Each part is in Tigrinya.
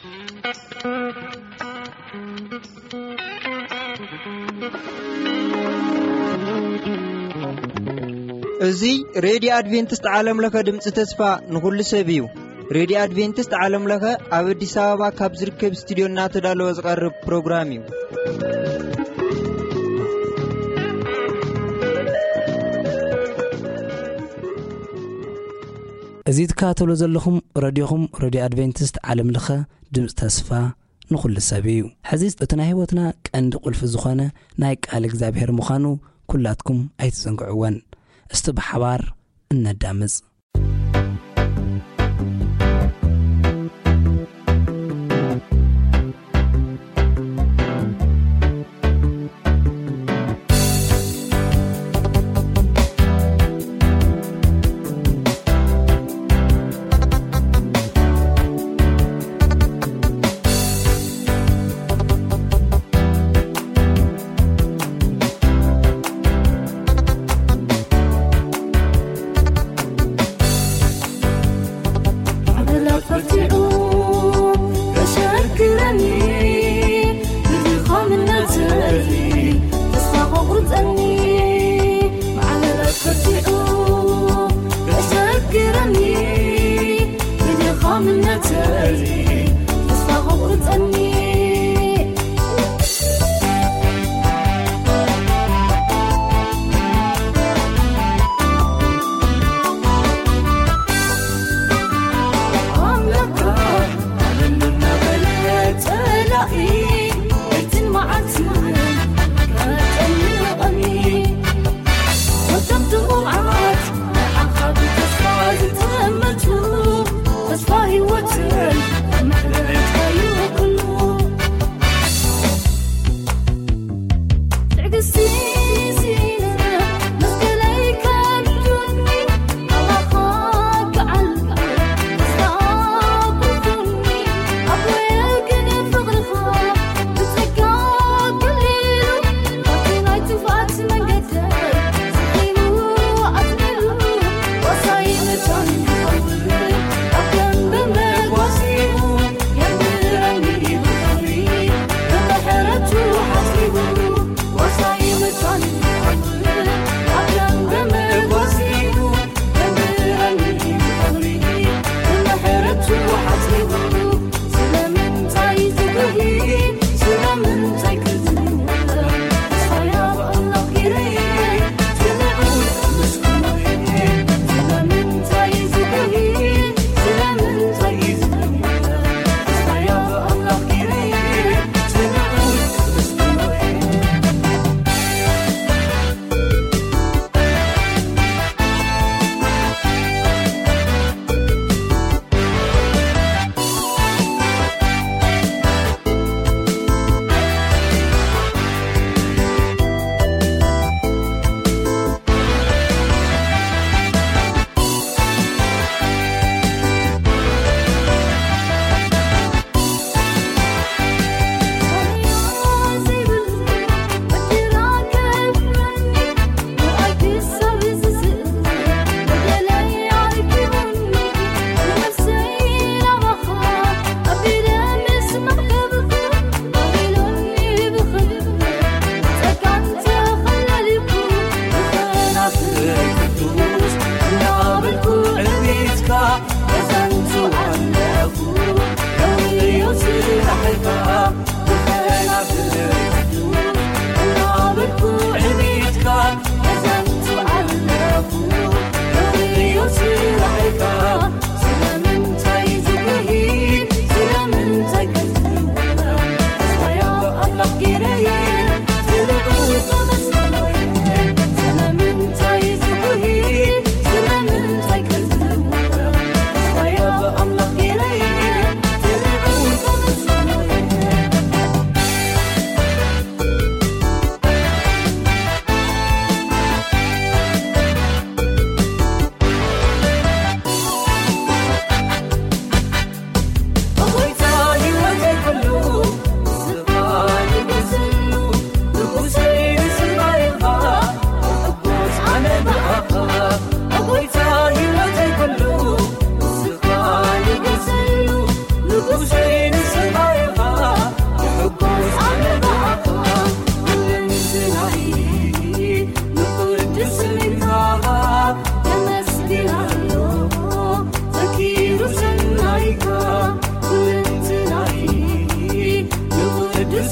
እዚ ሬድዮ ኣድቬንቲስት ዓለም ለኸ ድምፂ ተስፋ ንኹሉ ሰብ እዩ። ሬድዮ ኣድቬንቲስት ዓለም ለኸ ኣብ ኣዲስ ኣበባ ካብ ዝርከብ ስቱዲዮ እናተዳለወ ዝቐርብ ፕሮግራም እዩ። እዚ ትከታተሉ ዘለኹም ረድዮኹም፣ ረድዮ ኣድቬንቲስት ዓለም ለኸ ድምፂ ተስፋ ንኹሉ ሰብ እዩ። ሕዚ እቲ ናይ ህይወትና ቀንዲ ቁልፊ ዝኾነ ናይ ቃል እግዚኣብሔር ምዃኑ ኩላትኩም ኣይትዘንግዕወን። እስቲ ብሓባር እነዳምፅ።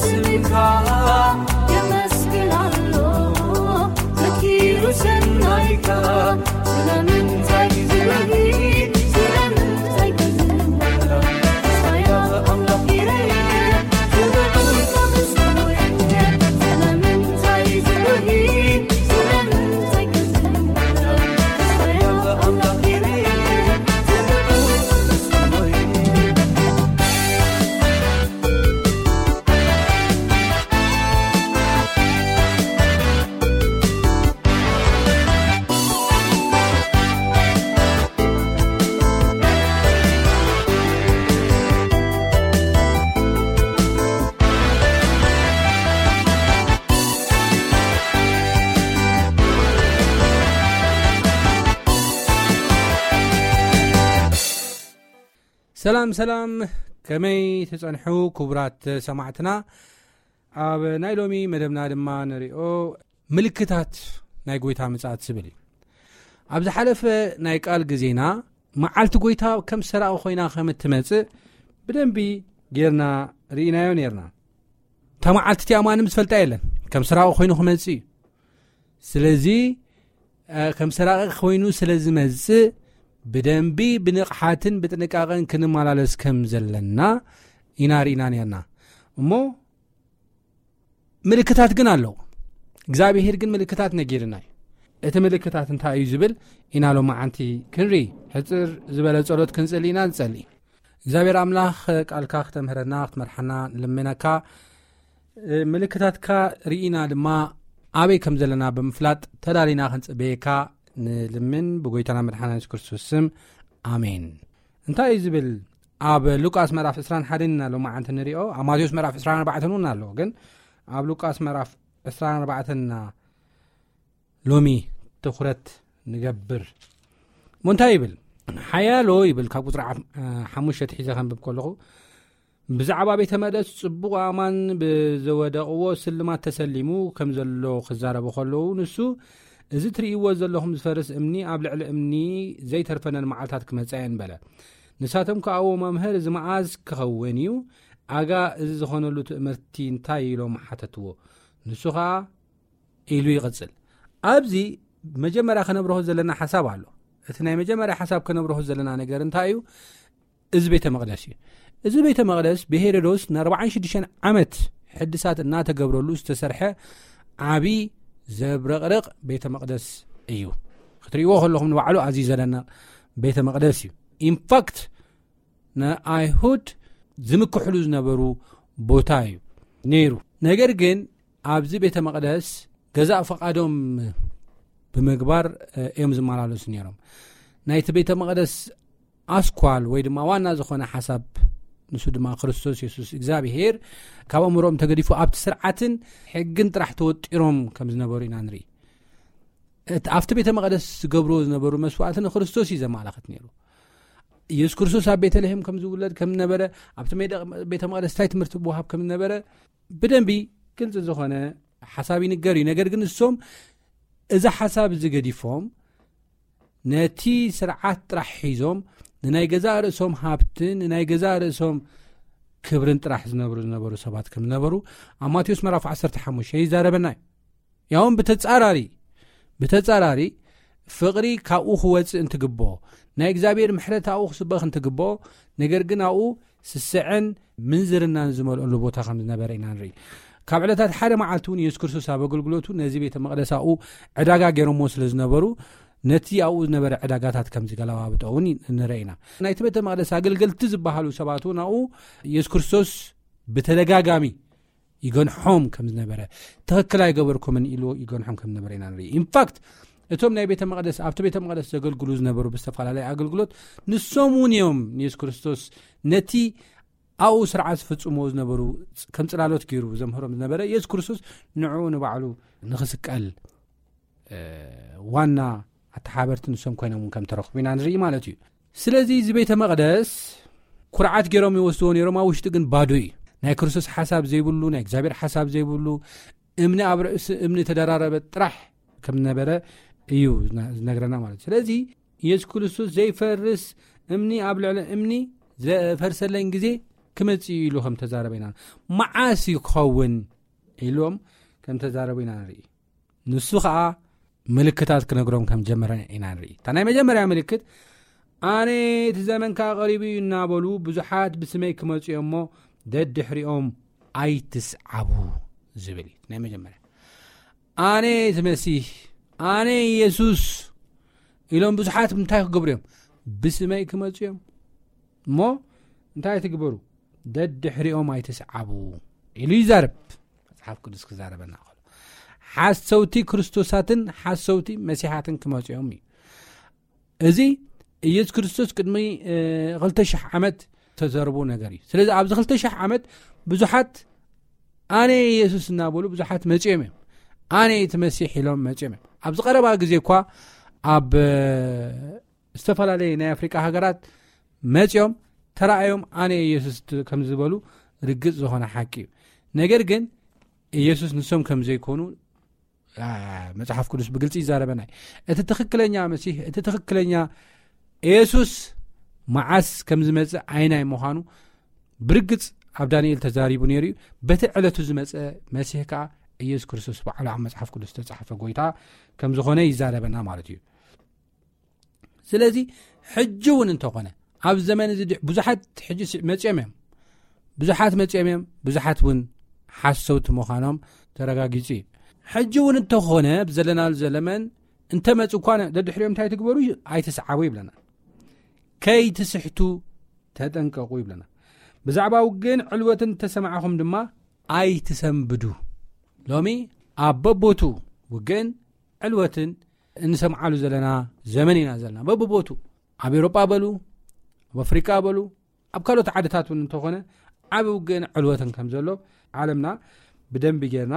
ስምካ የመስግን ኣሎ፣ ዘኪሩ ሰናይካ። ስለምንታይ ዝበሂ፣ ስለምንታይ ክዝምር? ተስፋያ ኣምላኽ ይረየ፣ ክብርን ከምስኩየ። ስለምንታይ ዝበሂ፣ ስለምንታይ ክዝምር? ተስፋያ ኣምላኽ ይረየ፣ ክብርን ከምስኩየ። ሰላም ሰላም፣ ከመይ ትጸንሑ ክቡራት ሰማዕትና? ኣብ ናይ ሎሚ መደብና ድማ ንሪኦ ምልክታት ናይ ጎይታ ምጽኣት ዝብል እዩ። ኣብ ዝሓለፈ ናይ ቃል ግዜና መዓልቲ ጎይታ ከም ሰራቒ ኮይና ከም እትመጽእ ብደንቢ ጌርና ርኢናዮ ኔርና። እታ መዓልቲ እቲኣ ማንም ዝፈልጣ የለን፣ ከም ሰራቒ ኮይኑ ክመጽእ እዩ። ስለዚ እ፣ ከም ሰራቒ ኮይኑ ስለ ዝመጽእ ብደንቢ ብንቕሓትን ብጥንቃቐን ክንመላለስ ከም ዘለና ኢና ርኢና ኔርና። እሞ ምልክታት ግን ኣለዎ። እግዚኣብሄር ግን ምልክታት ነጊርና እዩ። እቲ ምልክታት እንታይ እዩ ዝብል ኢና ሎማዓንቲ ክንርኢ። ሕጽር ዝበለ ጸሎት ክንጽሊ ኢና ንጸሊ። እግዚኣብሔር ኣምላኽ ቃልካ ክተምህረና ክትመርሓና ንልምነካ። ምልክታትካ ርኢና ድማ ኣበይ ከም ዘለና ብምፍላጥ ተዳሊና ክንጽበየካ ንልምን ብጎይታና መድሓና የሱስ ክርስቶስ ስም። ኣሜን። እንታይ እዩ ዝብል? ኣብ ሉቃስ ምዕራፍ ዕስራን ሓደን ኢና ሎማዓንቲ ንሪኦ፣ ኣብ ማቴዎስ ምዕራፍ ዕስራን ኣርባዕተን እውን ኣለዎ። ግን ኣብ ሉቃስ ምዕራፍ ዕስራን ኣርባዕተን ኢና ሎሚ ትኹረት ንገብር። እሞ እንታይ ይብል? ሓያሎ ይብል፣ ካብ ቁፅሪ ዓፍ-፣ ሓሙሽተ ሒዘ ከንብብ ከለኹ፣ ብዛዕባ ቤተ መቅደስ ጽቡቕ ኣእማን ብዘወደቕዎ ስልማት ተሰሊሙ ከም ዘሎ ክዛረቡ ከለዉ፣ ንሱ፣ "እዚ ትርእይዎ ዘለኹም ዝፈርስ እምኒ ኣብ ልዕሊ እምኒ ዘይተርፈነን መዓልታት ክመጻ እየን" በለ። ንሳቶም ከኣ፣ "እዎ መምህር፣ እዚ መዓዝ ክኸውን እዩ? ኣጋ እዚ ዝኾነሉ ትእምርቲ እንታይ?" ኢሎም ሓተትዎ። ንሱ ኸኣ ኢሉ ይቕጽል። ኣብዚ መጀመርያ ከነብርሆ ዘለና ሓሳብ ኣሎ። እቲ ናይ መጀመርያ ሓሳብ ከነብርሆ ዘለና ነገር እንታይ እዩ? እዚ ቤተ መቕደስ እዩ። እዚ ቤተ መቕደስ ብሄሮዶስ ንኣርባዓን ሽዱሽተን ዓመት ሕድሳት እናተገብረሉ ዝተሰርሐ ዓቢ ዘብረቕርቕ ቤተ መቕደስ እዩ። ክትርእይዎ ከለኹም ንባዕሉ ኣዝዩ ዘደንቕ ቤተ መቕደስ እዩ። ኢንፋክት ንኣይሁድ ዝምክሕሉ ዝነበሩ ቦታ እዩ ነይሩ። ነገር ግን ኣብዚ ቤተ መቕደስ ገዛእ ፈቓዶም ብምግባር፣ እ፣ እዮም ዝመላለሱ ነይሮም። ናይቲ ቤተ መቕደስ ኣስኳል ወይ ድማ ዋና ዝኾነ ሓሳብ፣ ንሱ ድማ ክርስቶስ የሱስ እግዚኣብሄር፣ ካብ ኣእምሮኦም ተገዲፉ ኣብቲ ስርዓትን ሕግን ጥራሕ ተወጢሮም ከም ዝነበሩ ኢና ንርኢ። እቲ ኣብቲ ቤተ መቕደስ ዝገብርዎ ዝነበሩ መስዋዕቲ ንክርስቶስ እዩ ዘመላኽት ነይሩ። የሱስ ክርስቶስ ኣብ ቤተልሔም ከም ዝውለድ ከም ዝነበረ፣ ኣብቲ ሜዳ-፣ ቤተ መቕደስ እንታይ ትምህርቲ ምውሃብ ከም ዝነበረ ብደንቢ ግልጺ ዝኾነ ሓሳብ ይንገር እዩ። ነገር ግን ንሶም እዚ ሓሳብ እዚ ገዲፎም ነቲ ስርዓት ጥራሕ ሒዞም ንናይ ገዛእ ርእሶም ሃብትን ንናይ ገዛእ ርእሶም ክብርን ጥራሕ ዝነብሩ ዝነበሩ ሰባት ከም ዝነበሩ ኣብ ማቴዎስ ምዕራፍ ዓሰርተ ሓሙሽተ ይዛረበና እዩ። ያውን ብተጻራሪ፣ ብተጻራሪ ፍቕሪ ካብኡ ክወጽእ እንትግብኦ፣ ናይ እግዚኣብሔር ምሕረት ኣብኡ ክስበኽ እንትግብኦ፣ ነገር ግን ኣብኡ ስስዐን ምንዝርናን ዝመልኦሉ ቦታ ከም ዝነበረ ኢና ንርኢ። ካብ ዕለታት ሓደ መዓልቲ እውን የሱስ ክርስቶስ ኣብ ኣገልግሎቱ ነዚ ቤተ መቕደስ ኣብኡ ዕዳጋ ገይሮምዎ ስለ ዝነበሩ፣ ነቲ ኣብኡ ዝነበረ ዕዳጋታት ከም ዝገለባብጦ እውን ንርኢ ኢና። ናይቲ ቤተ መቕደስ ኣገልገልቲ ዝበሃሉ ሰባት እውን ኣብኡ የሱስ ክርስቶስ ብተደጋጋሚ ይገንሖም ከም ዝነበረ፣ "ትኽክል ኣይገበርኩምን" ኢሉ ይገንሖም ከም ዝነበረ ኢና ንርኢ። ኢንፋክት እቶም ናይ ቤተ መቕደስ፣ ኣብቲ ቤተ መቕደስ ዘገልግሉ ዝነበሩ ብዝተፈላለየ ኣገልግሎት፣ ንሶም እውን እዮም ንየሱስ ክርስቶስ ነቲ ኣብኡ ስርዓት ዝፍጽምዎ ዝነበሩ ከም ጽላሎት ገይሩ ዘምህሮም ዝነበረ የሱስ ክርስቶስ ንዕኡ ንባዕሉ ንኽስቀል፣ እ፣ ዋና ኣተሓበርቲ ንሶም ኮይኖም እውን ከም ተረኽቡ ኢና ንርኢ ማለት እዩ። ስለዚ እዚ ቤተ መቕደስ ኩርዓት ገይሮም ይወስድዎ ነይሮም፣ ኣብ ውሽጢ ግን ባዶ እዩ። ናይ ክርስቶስ ሓሳብ ዘይብሉ፣ ናይ እግዚኣብሔር ሓሳብ ዘይብሉ፣ እምኒ ኣብ ርእሲ እምኒ ተደራረበ ጥራሕ ከም ዝነበረ እዩ ዝነ-፣ ዝነግረና ማለት እዩ። ስለዚ የሱስ ክርስቶስ ዘይፈርስ እምኒ ኣብ ልዕሊ እምኒ ዝፈርሰለን ግዜ ክመጽእ ኢሉ ከም ተዛረበ ኢና፣ መዓስ እዩ ክኸውን ኢሎም ከም ተዛረቡ ኢና ንርኢ። ንሱ ኸኣ ምልክታት ክነግሮም ከም ጀመረ ኢና ንርኢ። እታ ናይ መጀመርያ ምልክት፣ ኣነ እቲ ዘመን ከኣ ቀሪቡ እዩ እናበሉ ብዙሓት ብስመይ ክመጹ እዮም እሞ ደድሕሪኦም ኣይትስዓቡ ዝብል እዩ። ናይ መጀመርያ፣ ኣነ እቲ መሲህ፣ ኣነ ኢየሱስ ኢሎም ብዙሓት እንታይ ክገብሩ እዮም? ብስመይ ክመጹ እዮም እሞ እንታይ ትግበሩ? ደድሕሪኦም ኣይትስዓቡ ኢሉ ይዛረብ። መጽሓፍ ቅዱስ ክዛረበና ከሎ፣ ሓሰውቲ ክርስቶሳትን ሓሰውቲ መሲሓትን ክመጹ እዮም እዩ። እዚ ኢየሱስ ክርስቶስ ቅድሚ ክልተ ሽሕ ዓመት ተዘርቡ ነገር እዩ። ስለዚ ኣብዚ ክልተ ሽሕ ዓመት ብዙሓት ኣነ ኢየሱስ እናበሉ ብዙሓት መጺኦም እዮም። ኣነ እቲ መሲሕ ኢሎም መጺኦም እዮም። ኣብዚ ቀረባ ግዜ እኳ ኣብ እ፣ ዝተፈላለየ ናይ ኣፍሪቃ ሃገራት መጺኦም ተራእዮም ኣነ ኢየሱስ ት-፣ ከም ዝበሉ ርግጽ ዝኾነ ሓቂ እዩ። ነገር ግን ኢየሱስ ንሶም ከም ዘይኮኑ፣ አ፣ መጽሓፍ ቅዱስ ብግልጺ ይዛረበና እዩ። እቲ ትኽክለኛ መሲህ፣ እቲ ትኽክለኛ ኢየሱስ መዓስ ከም ዝመጽእ ኣይናይ ምዃኑ ብርግጽ ኣብ ዳንኤል ተዛሪቡ ነይሩ እዩ። በቲ ዕለቱ ዝመጸ መሲህ ከኣ ኢየሱስ ክርስቶስ ባዕሉ ኣብ መጽሓፍ ቅዱስ ዝተጻሕፈ ጎይታ ከም ዝኾነ ይዛረበና ማለት እዩ። ስለዚ ሕጂ እውን እንተኾነ ኣብ ዘመን እዚ ድ-፣ ብዙሓት ሕጂ ስ-፣ መጺኦም እዮም። ብዙሓት መጺኦም እዮም። ብዙሓት እውን ሓሰውቲ ምዃኖም ተረጋጊጹ እዩ። ሕጂ እውን እንተኾነ ኣብ ዘለናሉ ዘለመን እንተመጹ እኳ ነ-፣ ደድሕሪኦም እንታይ ትግበሩ? ኣይትስዓቡ ይብለና። ከይትስሕቱ ተጠንቀቑ ይብለና። ብዛዕባ ውግእን ዕልወትን እንተሰማዕኹም ድማ ኣይትሰንብዱ። ሎሚ ኣብ በቦቱ ውግእን ዕልወትን እንሰምዓሉ ዘለና ዘመን ኢና ዘለና። በብቦቱ ኣብ ኤውሮጳ በሉ፣ ኣብ ኣፍሪቃ በሉ፣ ኣብ ካልኦት ዓድታት እውን እንተኾነ ዓቢ ውግእን ዕልወትን ከም ዘሎ ዓለምና ብደንቢ ጌርና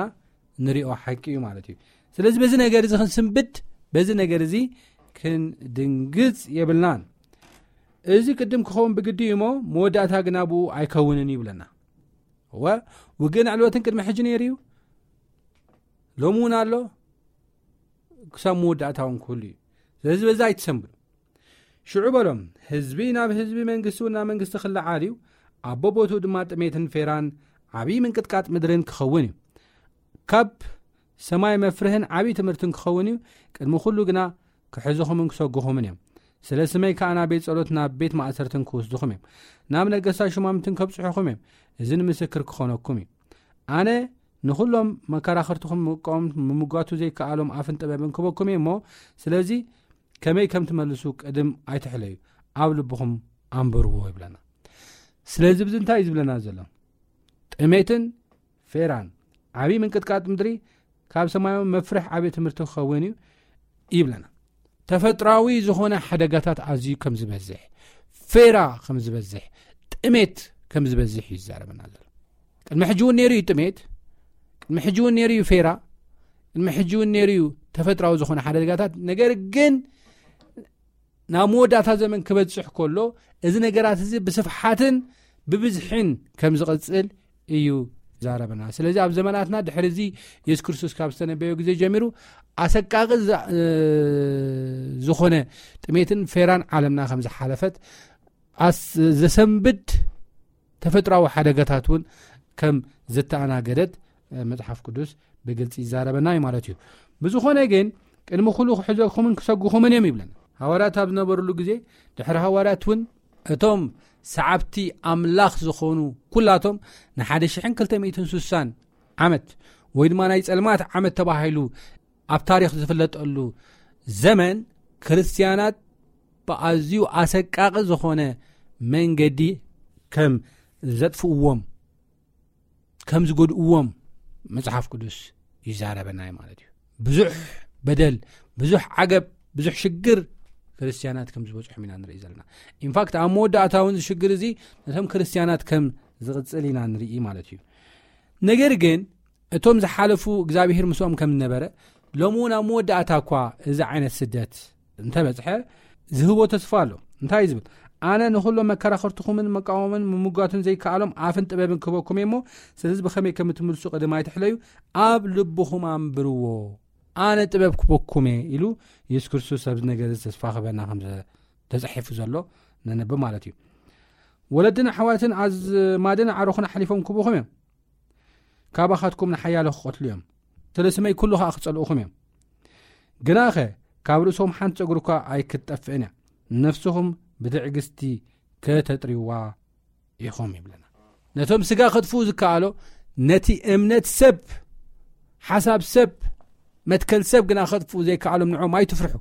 ንሪኦ ሓቂ እዩ ማለት እዩ። ስለዚ በዚ ነገር እዚ ክንስንብድ፣ በዚ ነገር እዚ ክንድንግጽ የብልናን። እዚ ቅድም ክኸውን ብግዲ እዩ እሞ መወዳእታ ግና ብኡ ኣይከውንን ይብለና። እወ፣ ውግእን ዕልወትን ቅድሚ ሕጂ ነይሩ እዩ፣ ሎሚ እውን ኣሎ፣ ክሳብ መወዳእታ እውን ክህሉ እዩ። ስለዚ በዛ ኣይትሰንብዱ። ሽዑ በሎም፣ ህዝቢ ናብ ህዝቢ፣ መንግስቲ እውን ናብ መንግስቲ ክለዓል እዩ። ኣብ በቦትኡ ድማ ጥሜትን ፌራን ዓብዪ ምንቅጥቃጥ ምድርን ክኸውን እዩ። ካብ ሰማይ መፍርህን ዓብዪ ትምህርትን ክኸውን እዩ። ቅድሚ ኩሉ ግና ክሕዝኹምን ክሰጉኹምን እዮም። ስለ ስመይ ከኣ ናብ ቤት ጸሎት፣ ናብ ቤት ማእሰርትን ክወስድኹም እዮም። ናብ ነገስታት ሹማምትን ከብጽሑኹም እዮም። እዚ ንምስክር ክኾነኩም እዩ። ኣነ ንኹሎም መከራኸርትኹም ምቃወም፣ ምምጓቱ ዘይከኣሎም ኣፍን ጥበብን ክበኩም እየ እሞ፣ ስለዚ ከመይ ከም ትመልሱ ቅድም ኣይትሕለዩ፣ ኣብ ልብኹም ኣንብርዎ ይብለና። ስለዚ ብዚ እንታይ እዩ ዝብለና ዘሎ? ጥሜትን ፌራን ዓብዪ ምንቅጥቃጥ ምድሪ ካብ ሰማያዊ መፍርሕ ዓብዪ ትምህርቲ ክኸውን እዩ ይብለና። ተፈጥራዊ ዝኾነ ሓደጋታት ኣዝዩ ከም ዝበዝሕ፣ ፌራ ከም ዝበዝሕ፣ ጥሜት ከም ዝበዝሕ እዩ ዝዛረበና ዘሎ። ቅድሚ ሕጂ እውን ነይሩ እዩ ጥሜት፣ ቅድሚ ሕጂ እውን ነይሩ እዩ ፌራ፣ ቅድሚ ሕጂ እውን ነይሩ እዩ ተፈጥራዊ ዝኾነ ሓደጋታት። ነገር ግን ናብ መወዳእታ ዘመን ክበጽሕ ከሎ፣ እዚ ነገራት እዚ ብስፍሓትን ብብዝሕን ከም ዝቕጽል እዩ ዛረበና። ስለዚ ኣብ ዘመናትና ድሕሪ እዚ የሱስ ክርስቶስ ካብ ዝተነበዮ ግዜ ጀሚሩ ኣሰቃቂ ዛ-፣ እ፣ ዝኾነ ጥሜትን ፌራን ዓለምና ከም ዝሓለፈት፣ ኣስ-፣ ዘሰንብድ ተፈጥራዊ ሓደጋታት እውን ከም ዝተኣናገደት፣ እ፣ መጽሓፍ ቅዱስ ብግልጺ ይዛረበና እዩ ማለት እዩ። ብዝኾነ ግን ቅድሚ ኩሉ ክሕዘኩምን ክሰጉኹምን እዮም ይብለና። ሃዋርያት ኣብ ዝነበሩሉ ግዜ፣ ድሕሪ ሃዋርያት እውን እቶም ሰዓብቲ ኣምላኽ ዝኾኑ ኩላቶም ንሓደ ሽሕን ክልተ ሚእትን ስሳን ዓመት ወይ ድማ ናይ ጸልማት ዓመት ተባሂሉ ኣብ ታሪኽ ዝፍለጠሉ ዘመን ክርስትያናት ብኣዝዩ ኣሰቃቂ ዝኾነ መንገዲ ከም ዘጥፍእዎም፣ ከም ዝጎድእዎም መጽሓፍ ቅዱስ ይዛረበና እዩ ማለት እዩ። ብዙሕ በደል፣ ብዙሕ ዓገብ፣ ብዙሕ ሽግር ክርስትያናት ከም ዝበጽሖም ኢና ንርኢ ዘለና። ኢንፋክት ኣብ መወዳእታ እውን እዚ ሽግር እዚ ነቶም ክርስትያናት ከም ዝቕጽል ኢና ንርኢ ማለት እዩ። ነገር ግን እቶም ዝሓለፉ እግዚኣብሔር ምስኦም ከም ዝነበረ፣ ሎሚ እውን ኣብ መወዳእታ እኳ እዚ ዓይነት ስደት እንተበጽሐ ዝህቦ ተስፋ ኣሎ። እንታይ እዩ ዝብል? ኣነ ንኹሎም መከራኸርትኹምን መቃወምን ምምጓትን ዘይከኣሎም ኣፍን ጥበብን ክህበኩም እየ እሞ፣ ስለዚ ብኸመይ ከም እትምልሱ ቅድም ኣይትሕለዩ፣ ኣብ ልብኹም ኣንብርዎ። ኣነ ጥበብ ክህበኩም እየ ኢሉ የሱስ ክርስቶስ ኣብዚ ነገር እዚ ተስፋ ክህበና ከም ዘ-፣ ተጻሒፉ ዘሎ ነንብብ ማለት እዩ። ወለድን ኣሕዋትን ኣዝማድን ኣዕሩኽን ሓሊፎም ክቡኹም እዮም። ካባኻትኩም ንሓያሎ ክቐትሉ እዮም። ስለ ስመይ ኩሉ ኸኣ ክጸልኡኹም እዮም። ግናኸ ካብ ርእሶም ሓንቲ ጸጉሪ እኳ ኣይክትጠፍእን እያ። ነፍስኹም ብትዕግስቲ ከተጥርይዋ ኢኹም ይብለና። ነቶም ስጋ ከጥፍኡ ዝከኣሎ፣ ነቲ እምነት ሰብ፣ ሓሳብ ሰብ፣ መትከል ሰብ ግና ከጥፍኡ ዘይከኣሎም ንዖም ኣይትፍርሑ።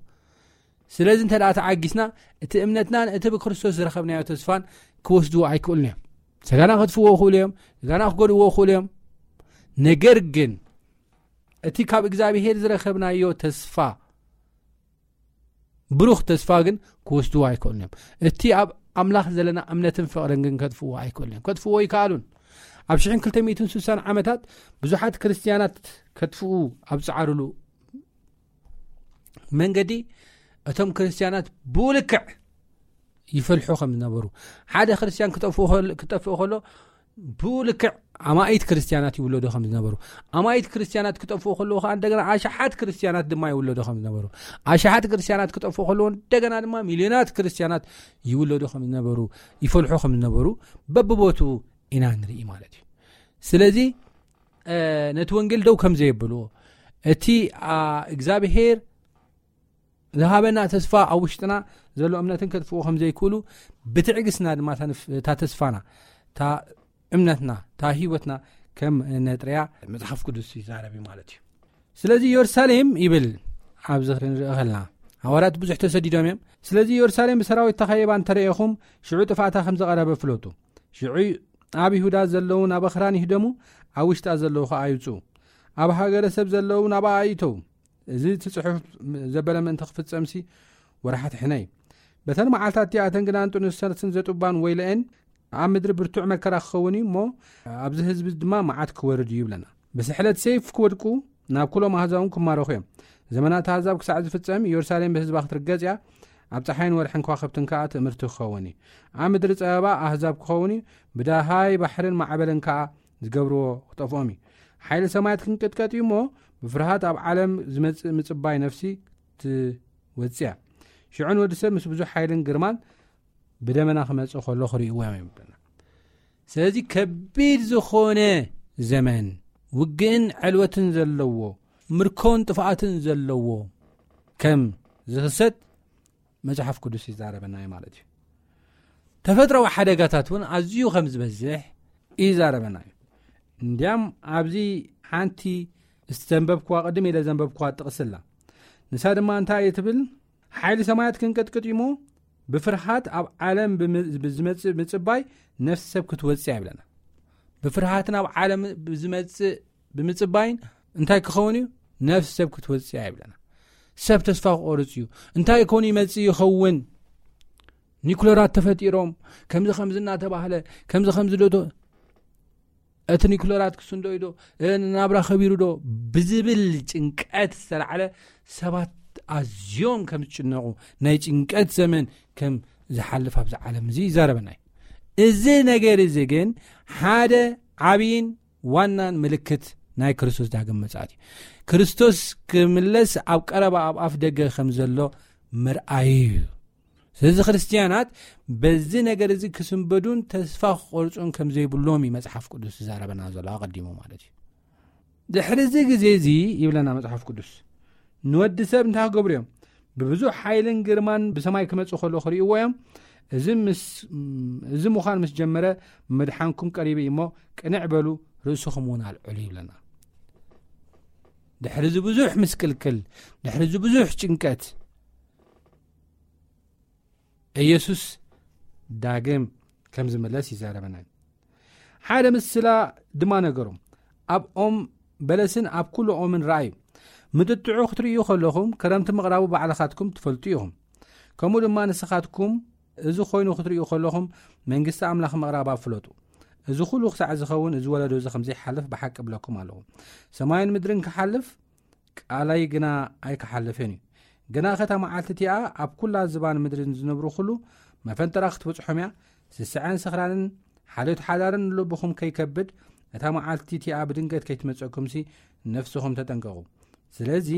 ስለዚ እንተ ደኣ ተዓጊስና፣ እቲ እምነትናን እቲ ብክርስቶስ ዝረኸብናዮ ተስፋን ክወስድዎ ኣይክእሉን እዮም። ስጋና ከጥፍዎ ይኽእሉ እዮም፣ ስጋና ክጎድእዎ ይኽእሉ እዮም። ነገር ግን እቲ ካብ እግዚኣብሔር ዝረኸብናዮ ተስፋ፣ ብሩኽ ተስፋ ግን ክወስድዎ ኣይክእሉን እዮም። እቲ ኣብ ኣምላኽ ዘለና እምነትን ፍቕርን ግን ከጥፍዎ ኣይክእሉን እዮም። ከጥፍዎ ይከኣሉን። ኣብ ሽሕን ክልተ ሚእትን ስሳን ዓመታት ብዙሓት ክርስትያናት ከጥፍኡ ኣብ ዝጸዓሩሉ መንገዲ፣ እቶም ክርስትያናት ብልክዕ ይፈልሑ ከም ዝነበሩ፣ ሓደ ክርስትያን ክጠፍኡ ከሎ፣ ክጠፍኡ ከሎ ብልክዕ ኣማኢት ክርስትያናት ይውለዱ ከም ዝነበሩ፣ ኣማኢት ክርስትያናት ክጠፍኡ ከለዉ ከኣ እንደገና ኣሽሓት ክርስትያናት ድማ ይውለዱ ከም ዝነበሩ፣ ኣሽሓት ክርስትያናት ክጠፍኡ ከለዉ እንደገና ድማ ሚልዮናት ክርስትያናት ይውለዱ ከም ዝነበሩ፣ ይፈልሑ ከም ዝነበሩ በብቦትኡ ኢና ንርኢ ማለት እዩ። ስለዚ፣ እ፣ ነቲ ወንጌል ደው ከም ዘየብልዎ፣ እቲ፣ ኣ፣ እግዚኣብሔር ዝሃበና ተስፋ ኣብ ውሽጥና ዘሎ እምነትን ከጥፍኡ ከም ዘይክእሉ፣ ብትዕግስትና ድማ እታ ንፍ-፣ እታ ተስፋና፣ እታ እምነትና፣ እታ ህይወትና ከም ነጥርያ መጽሓፍ ቅዱስ ይዛረብ እዩ ማለት እዩ። ስለዚ ኢየሩሳሌም ይብል ኣብዚ ክንርኢ ከለና፣ ሃዋርያት ብዙሕ ተሰዲዶም እዮም። ስለዚ ኢየሩሳሌም ብሰራዊት ተኸቢባ እንተረኤኹም፣ ሽዑ ጥፍኣታ ከም ዝቐረበ ፍለጡ። ሽዑ ኣብ ይሁዳ ዘለዉ ናብ ኣኽራን ይህደሙ፣ ኣብ ውሽጣ ዘለዉ ኸኣ ይውጽኡ። ኣብ ሃገረ ሰብ ዘለዉ ናብኣ ኣይእተዉ። እዚ እቲ ጽሑፍ ዘበለ ምእንቲ ክፍጸምሲ ወርሓት ሕነ እዩ። በተን መዓልታት እቲኣተን ግና እንጥኑሰትን ዘጡባን ወይለኤን፣ ኣብ ምድሪ ብርቱዕ መከራ ክኸውን እዩ እሞ፣ ኣብዚ ህዝቢ ድማ መዓት ክወርድ እዩ ይብለና። ብስሕለት ሰይፍ ክወድቁ፣ ናብ ኩሎም ኣህዛብ እውን ክማረኹ እዮም። ዘመናት ኣህዛብ ክሳዕ ዝፍጸም፣ ኢየሩሳሌም ብህዝባ ክትርገጽ እያ። ኣብ ጸሓይን ወርሕን ከዋኽብትን ከኣ ትእምርቲ ክኸውን እዩ። ኣብ ምድሪ ጸበባ ኣህዛብ ክኸውን እዩ። ብደሃይ ባሕርን ማዕበልን ከኣ ዝገብርዎ ክጠፍኦም እዩ። ሓይሊ ሰማያት ክንቅጥቀጥ እዩ እሞ፣ ብፍርሃት ኣብ ዓለም ዝመጽእ ምጽባይ ነፍሲ ትወጽእ እያ። ሽዑ ንወዲ ሰብ ምስ ብዙሕ ሓይልን ግርማን ብደመና ክመጽእ ከሎ ክርእይዎ እዮም ይብለና። ስለዚ ከቢድ ዝኾነ ዘመን ውግእን ዕልወትን ዘለዎ፣ ምርኮን ጥፍኣትን ዘለዎ ከም ዝኽሰት መጽሓፍ ቅዱስ ይዛረበና እዩ ማለት እዩ። ተፈጥሮዊ ሓደጋታት እውን ኣዝዩ ከም ዝበዝሕ ይዛረበና እዩ። እንዲያም ኣብዚ ሓንቲ ዝተንበብክዋ፣ ቅድም ኢለ ዘንበብክዋ ጥቕሲ ኣላ። ንሳ ድማ እንታይ እየ ትብል? ሓይሊ ሰማያት ክንቅጥቅጥ እዩ እሞ፣ ብፍርሃት ኣብ ዓለም ብም-፣ ብዝመጽእ ምጽባይ ነፍሲ ሰብ ክትወጽእ እያ ይብለና። ብፍርሃትን ኣብ ዓለም ብዝመጽእ ብምጽባይን እንታይ ክኸውን እዩ? ነፍሲ ሰብ ክትወጽእ እያ ይብለና። ሰብ ተስፋ ክቆርጽ እዩ። እንታይ ይኮን ይመጽእ ይኸውን? ኒኩለራት ተፈጢሮም፣ ከምዚ ከምዚ እናተባህለ፣ ከምዚ ከምዚ ዶ፣ ዶ፣ እቲ ኒኩለራት ክስንዶ እዩ ዶ፣ እ፣ ናብራ ከቢሩ ዶ ብዝብል ጭንቀት ዝተላዕለ ሰባት ኣዝዮም ከም ዝጭነቑ፣ ናይ ጭንቀት ዘመን ከም ዝሓልፍ ኣብዚ ዓለም እዚ ይዛረበና እዩ። እዚ ነገር እዚ ግን ሓደ ዓብይን ዋናን ምልክት ናይ ክርስቶስ ዳግም ምጽኣት እዩ። ክርስቶስ ክምለስ ኣብ ቀረባ ኣብ ኣፍ ደገ ከም ዘሎ ምርኣዩ እዩ። ስለዚ ክርስትያናት በዚ ነገር እዚ ክስንበዱን ተስፋ ክቆርጹን ከም ዘይብሎም እዩ መጽሓፍ ቅዱስ ዝዛረበና ዘሎ ኣቐዲሙ ማለት እዩ። ድሕሪ እዚ ግዜ እዚ ይብለና መጽሓፍ ቅዱስ፣ ንወዲ ሰብ እንታይ ክገብሩ እዮም? ብብዙሕ ሓይልን ግርማን ብሰማይ ክመጽእ ከሎ ክርእይዎ እዮም። እዚ ምስ፣ እዚ ምዃን ምስ ጀመረ፣ ምድሓንኩም ቀሪቡ እዩ እሞ ቅንዕ በሉ፣ ርእስኹም እውን ኣልዕሉ ይብለና። ድሕሪ እዚ ብዙሕ ምስቅልቅል፣ ድሕሪ እዚ ብዙሕ ጭንቀት፣ ኢየሱስ ዳግም ከም ዝምለስ ይዛረበና። ሓደ ምስላ ድማ ነገሮም። ኣብ ኦም በለስን ኣብ ኩሉ ኦምን ረኣዩ። ምጥጥዑ ክትርእዩ ከለኹም፣ ክረምቲ ምቕራቡ ባዕልኻትኩም ትፈልጡ ኢኹም። ከምኡ ድማ ንስኻትኩም እዚ ኮይኑ ክትርእዩ ከለኹም፣ መንግስቲ ኣምላኽ ምቕራባ ፍለጡ። እዚ ኩሉ ክሳዕ ዝኸውን፣ እዚ ወለዶ እዚ ከም ዘይሓልፍ ብሓቂ እብለኩም ኣለኹ። ሰማይን ምድርን ክሓልፍ፣ ቃለይ ግና ኣይክሓልፍን እዩ። ግናኸ እታ መዓልቲ እቲኣ ኣብ ኩላ ዝባን ምድሪ ዝነብሩ ኩሉ መፈንጠራ ክትበጽሖም እያ። ስስዐን ስኽራንን ሓልዮት ሓዳርን ንልብኹም ከይከብድ፣ እታ መዓልቲ እቲኣ ብድንገት ከይትመጸኩምሲ ነፍስኹም ተጠንቀቑ። ስለዚ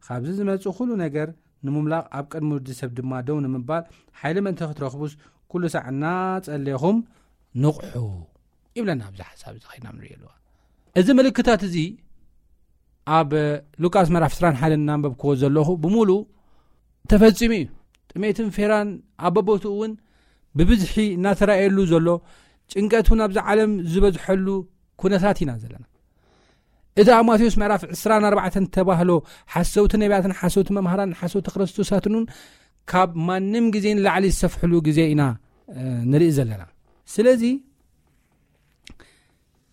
ካብዚ ዝመጽእ ኩሉ ነገር ንምምላቕ፣ ኣብ ቅድሚ ወዲ ሰብ ድማ ደው ንምባል ሓይሊ ምእንቲ ክትረኽቡስ፣ ኩሉ ሳዕ እናጸለኹም ንቕሑ ይብለና። ኣብዚ ሓሳብ እዚ ኸይና ንሪኦ ኣለዋ። እዚ ምልክታት እዚ ኣብ ሉቃስ ምዕራፍ ዕስራን ሓደን እናንበብክዎ ዘለኹ ብምሉእ ተፈጺሙ እዩ። ጥሜትን ፌራን ኣብ በቦትኡ እውን ብብዝሒ እናተራእየሉ ዘሎ፣ ጭንቀት እውን ኣብዚ ዓለም ዝበዝሐሉ ኩነታት ኢና ዘለና። እቲ ኣብ ማቴዎስ ምዕራፍ ዕስራን ኣርባዕተን ተባህሎ ሓሰውቲ ነቢያትን ሓሰውቲ መምሃራን ሓሰውቲ ክርስቶሳትን እውን ካብ ማንም ግዜ ንላዕሊ ዝሰፍሕሉ ግዜ ኢና፣ እ፣ ንርኢ ዘለና። ስለዚ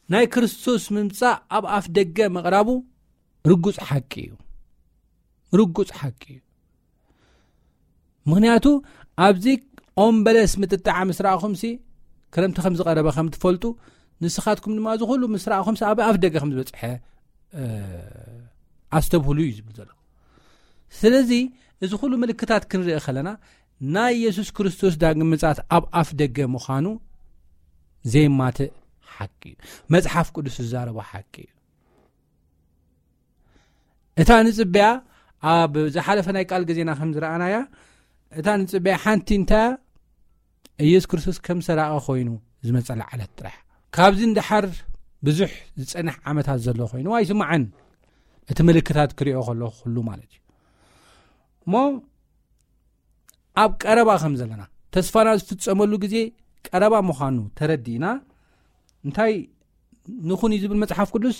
ናይ ክርስቶስ ምምጻእ ኣብ ኣፍ ደገ ምቕራቡ ርጉጽ ሓቂ እዩ። ርጉጽ ሓቂ እዩ። ምኽንያቱ ኣብዚ ኦም በለስ ምጥጣዓ ምስ ረኣኹምሲ፣ ክረምቲ ከም ዝቐረበ ከም ትፈልጡ፣ ንስኻትኩም ድማ እዚ ኩሉ ምስ ረኣኹምሲ ኣብ ኣፍ ደገ ከም ዝበጽሐ፣ እ፣ ኣስተብህሉ እዩ ዝብል ዘሎ። ስለዚ እዚ ኩሉ ምልክታት ክንርኢ ከለና ናይ የሱስ ክርስቶስ ዳግም ምጽኣት ኣብ ኣፍ ደገ ምዃኑ ዘይማትእ ሓቂ እዩ። መጽሓፍ ቅዱስ ዝዛረቦ ሓቂ እዩ። እታ ንጽበያ ኣብ ዝሓለፈ ናይ ቃል ግዜና ከም ዝረኣናያ፣ እታ ንጽበያ ሓንቲ እንታይ እያ? ኢየሱስ ክርስቶስ ከም ሰራቒ ኮይኑ ዝመጸላ ዕለት ጥራሕ። ካብዚ ንደሓር ብዙሕ ዝጸንሕ ዓመታት ዘሎ ኮይኑ ኣይስምዓን። እቲ ምልክታት ክሪኦ ከሎ ኩሉ ማለት እዩ። እሞ ኣብ ቀረባ ከም ዘለና፣ ተስፋና ዝፍጸመሉ ግዜ ቀረባ ምዃኑ ተረዲእና፣ እንታይ ንኹን እዩ ዝብል መጽሓፍ ቅዱስ?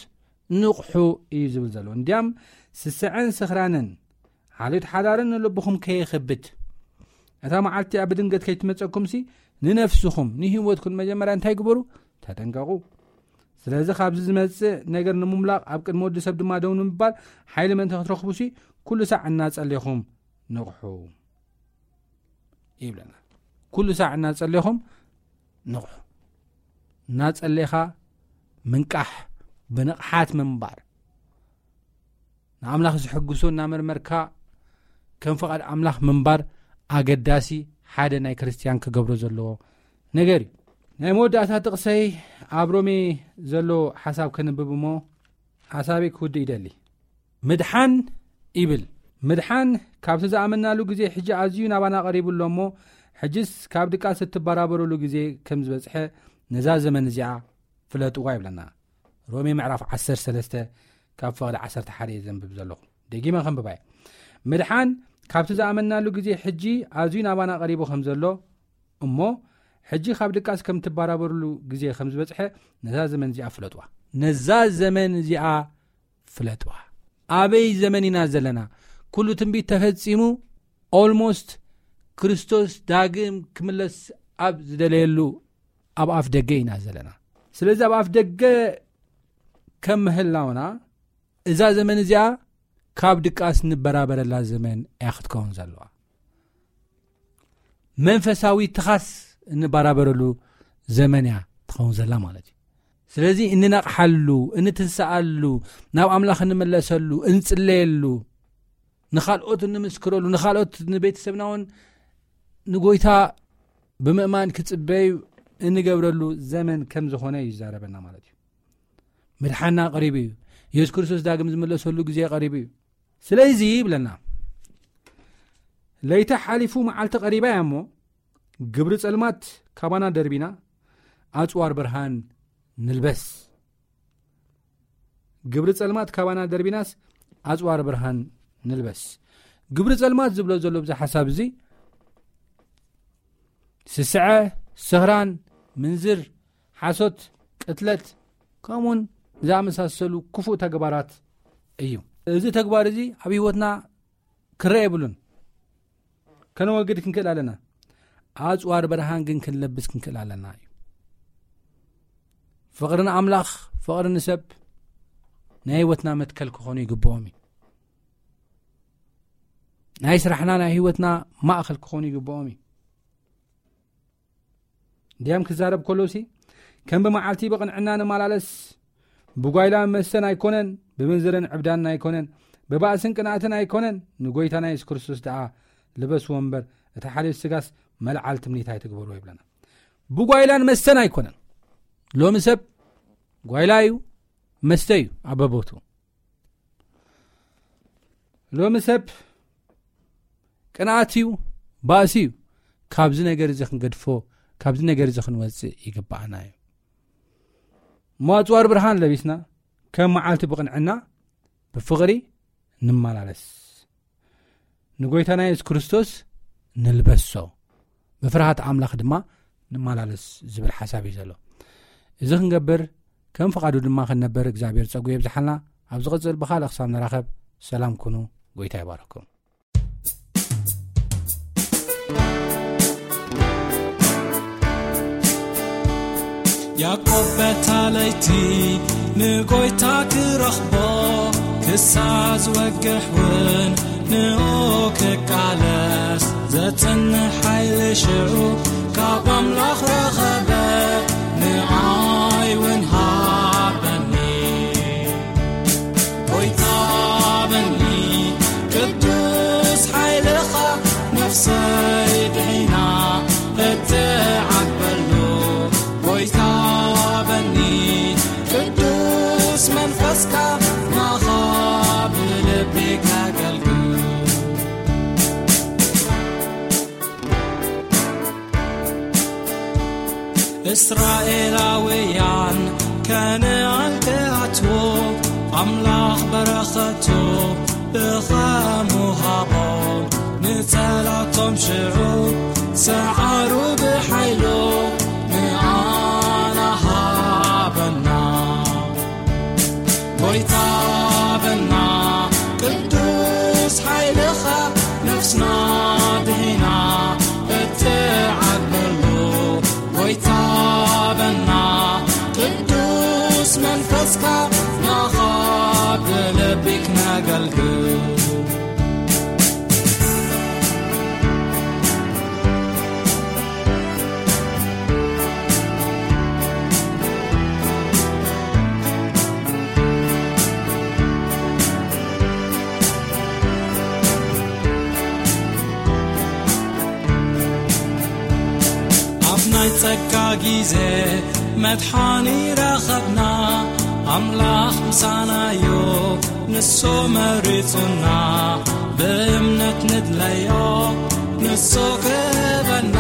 ንቕሑ እዩ ዝብል ዘሎ። እንዲያም ስስዐን ስኽራንን፣ ሓልዮት ሓዳርን ንልብኹም ከየኸብድ፣ እታ መዓልቲ ኣብ ድንገት ከይትመጸኩምሲ፣ ንነፍስኹም፣ ንህይወትኩም መጀመርያ እንታይ ግበሩ? ተጠንቀቑ። ስለዚ ካብዚ ዝመጽእ ነገር ንምምላቕ ኣብ ቅድሚ ወዲ ሰብ ድማ ደው ንምባል ሓይሊ ምእንቲ ክትረኽቡሲ፣ ኩሉ ሳዕ እናጸሌኹም ንቕሑ ይብለና። ኩሉ ሳዕ እናጸሌኹም ንቕሑ። እናጸሌኻ ምንቃሕ፣ ብንቕሓት ምንባር፣ ንኣምላኽ ዝሕግሶ እናመርመርካ ከም ፍቓድ ኣምላኽ ምንባር ኣገዳሲ ሓደ ናይ ክርስትያን ክገብሮ ዘለዎ ነገር እዩ። ናይ መወዳእታ ጥቕሰይ ኣብ ሮሜ ዘሎ ሓሳብ ከንብብ እሞ ሓሳበይ ክውድእ ይደሊ። ምድሓን ይብል። ምድሓን ካብቲ ዝኣመናሉ ግዜ ሕጂ ኣዝዩ ናባና ቀሪቡ ኣሎ እሞ፣ ሕጅስ ካብ ድቃስ እትበራበሩሉ ግዜ ከም ዝበጽሐ ነዛ ዘመን እዚኣ ፍለጥዋ ይብለና። ሮሜ ምዕራፍ ዓሰርተ ሰለስተ ካብ ፍቕዲ ዓሰርተ ሓደ እየ ዘንብብ ዘለኹ። ደጊመ ከንብባ እየ። ምድሓን ካብቲ ዝኣመናሉ ግዜ ሕጂ ኣዝዩ ናባና ቀሪቡ ከም ዘሎ እሞ፣ ሕጂ ካብ ድቃስ ከም ትበራበሩሉ ግዜ ከም ዝበጽሐ ነዛ ዘመን እዚኣ ፍለጥዋ። ነዛ ዘመን እዚኣ ፍለጥዋ። ኣበይ ዘመን ኢና ዘለና? ኩሉ ትንቢት ተፈጺሙ፣ ኦልሞስት ክርስቶስ ዳግም ክምለስ ኣብ ዝደለየሉ ኣብ ኣፍ ደገ ኢና ዘለና። ስለዚ ኣብ ኣፍ ደገ ከም ምህላውና፣ እዛ ዘመን እዚኣ ካብ ድቃስ ንበራበረላ ዘመን እያ ክትከውን ዘለዋ። መንፈሳዊ ትኻስ እንበራበረሉ ዘመን እያ ትኸውን ዘላ ማለት እዩ። ስለዚ እንነቕሓሉ፣ እንትንስኣሉ፣ ናብ ኣምላኽ እንመለሰሉ፣ እንጽለየሉ፣ ንኻልኦት እንምስክረሉ፣ ንኻልኦት ንቤተሰብና እውን ንጎይታ ብምእማን ክጽበዩ እንገብረሉ ዘመን ከም ዝኾነ እዩ ይዛረበና ማለት እዩ። ምድሓና ቀሪቡ እዩ። የሱስ ክርስቶስ ዳግም ዝምለሰሉ ግዜ ቀሪቡ እዩ። ስለዚ ይብለና፣ ለይቲ ሓሊፉ መዓልቲ ቀሪባ እያ እሞ፣ ግብሪ ጸልማት ካባና ደርቢና፣ ኣጽዋር ብርሃን ንልበስ። ግብሪ ጸልማት ካባና ደርቢናስ፣ ኣጽዋር ብርሃን ንልበስ። ግብሪ ጸልማት ዝብሎ ዘሎ ብዚ ሓሳብ እዚ፣ ስስዐ፣ ስኽራን፣ ምንዝር፣ ሓሶት፣ ቅትለት፣ ከምኡውን ዝኣመሳሰሉ ክፉእ ተግባራት እዩ። እዚ ተግባር እዚ ኣብ ህይወትና ክረአ የብሉን። ከነወግድ ክንክእል ኣለና። ኣጽዋር ብርሃን ግን ክንለብስ ክንክእል ኣለና እዩ። ፍቕሪ ንኣምላኽ፣ ፍቕሪ ንሰብ ናይ ህይወትና መትከል ክኾኑ ይግብኦም እዩ። ናይ ስራሕና፣ ናይ ህይወትና ማእከል ክኾኑ ይግብኦም እዩ። እንዲያም ክዛረብ ከሎሲ፣ ከም ብመዓልቲ ብቕንዕና ንመላለስ፣ ብጓይላ መስተን ኣይኮነን፣ ብምንዝርን ዕብዳንን ኣይኮነን፣ ብባእስን ቅንኣትን ኣይኮነን፣ ንጎይታና የሱስ ክርስቶስ ደኣ ልበስዎ እምበር፣ እቲ ሓልዮት ስጋስ መልዓል ትምኒት ኣይትግበርዎ ይብለና። ብጓይላን መስተን ኣይኮነን። ሎሚ ሰብ ጓይላ እዩ፣ መስተ እዩ ኣብ በቦቱ። ሎሚ ሰብ ቅንኣት እዩ፣ ባእሲ እዩ። ካብዚ ነገር እዚ ክንገድፎ ካብዚ ነገር እዚ ክንወፅእ ይግባኣና እዩ። እሞ ኣፅዋር ብርሃን ለቢስና፣ ከም መዓልቲ ብቕንዕና ብፍቕሪ ንመላለስ። ንጎይታና የሱስ ክርስቶስ ንልበሶ፣ ብፍርሃት ኣምላኽ ድማ ንመላለስ ዝብል ሓሳብ እዩ ዘሎ። እዚ ክንገብር፣ ከም ፍቓዱ ድማ ክንነብር እግዚኣብሔር ጸጉ የብዝሓልና። ኣብ ዝቕጽል ብኻልእ ክሳብ ንራኸብ፣ ሰላም ኩኑ። ጎይታ ይባርኽኩም። ያዕቆብ በታ ለይቲ ንጎይታ ክረኽቦ ክሳብ ዝወግሕ እውን ንኡ ክቃለስ ዘጽንሕ ሓይሊ ሽዑ ካብ ኣምላኽ ረኸበ። ንኣይ እውን ሃበኒ ጎይታ በኒ ቅዱስ ሓይልኻ ነፍሰይ ድሒና እትዓበሉ ጎይታ በኒ ቅዱስ መንፈስካ ናኻ ብልቢ ከገልግል። እስራኤላውያን ከነኣን ክኣትዉ ኣምላኽ በረኸቱ ብኸምኡ ሃቦም። ንጸላቶም ሽዑ ሰዓሩ ብሓይሉ ንኣና ሃበና። ጎይታ በና ቅዱስ ሓይልኻ ነፍስና ድሒና እትዓበሉ። ጎይታ በና ቅዱስ መንፈስካ ናኻ ብልቢ ክነገልግል። ኣብ ናይ ጸጋ ግዜ መድሓኒ ረኸብና፣ ኣምላኽ ምሳናዮ ንሱ መሪጹና፣ ብእምነት ንድለዮ ንሱ ክህበና።